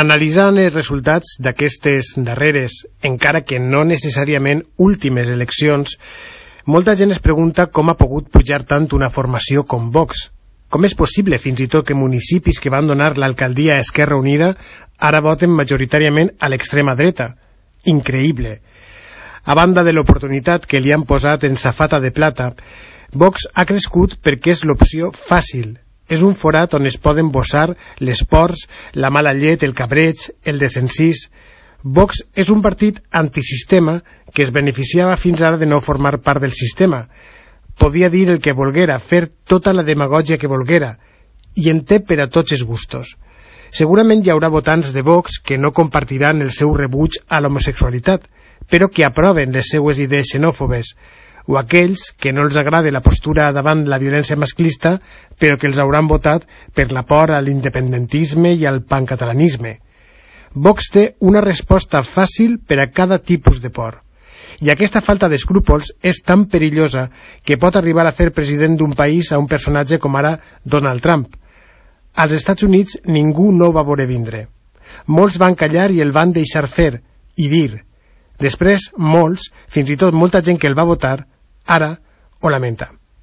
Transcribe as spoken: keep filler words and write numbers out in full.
Analitzant els resultats d'aquestes darreres, encara que no necessàriament últimes eleccions, molta gent es pregunta com ha pogut pujar tant una formació com Vox. Com és possible, fins i tot, que municipis que van donar l'alcaldia a Esquerra Unida ara voten majoritàriament a l'extrema dreta? Increïble. A banda de l'oportunitat que li han posat en safata de plata, Vox ha crescut perquè és l'opció fàcil. És un forat on es poden bossar les pors, la mala llet, el cabreig, el desencís. Vox és un partit antisistema que es beneficiava fins ara de no formar part del sistema. Podia dir el que volguera, fer tota la demagògia que volguera, i en té per a tots els gustos. Segurament hi haurà votants de Vox que no compartiran el seu rebuig a l'homosexualitat, però que aproven les seues idees xenòfobes, o aquells que no els agrada la postura davant la violència masclista, però que els hauran votat per la por a l'independentisme i al pancatalanisme. Vox té una resposta fàcil per a cada tipus de por. I aquesta falta d'escrúpols és tan perillosa que pot arribar a fer president d'un país a un personatge com ara Donald Trump. Als Estats Units ningú no va veure vindre. Molts van callar i el van deixar fer i dir. Després, molts, fins i tot molta gent que el va votar, ara ho lamenta.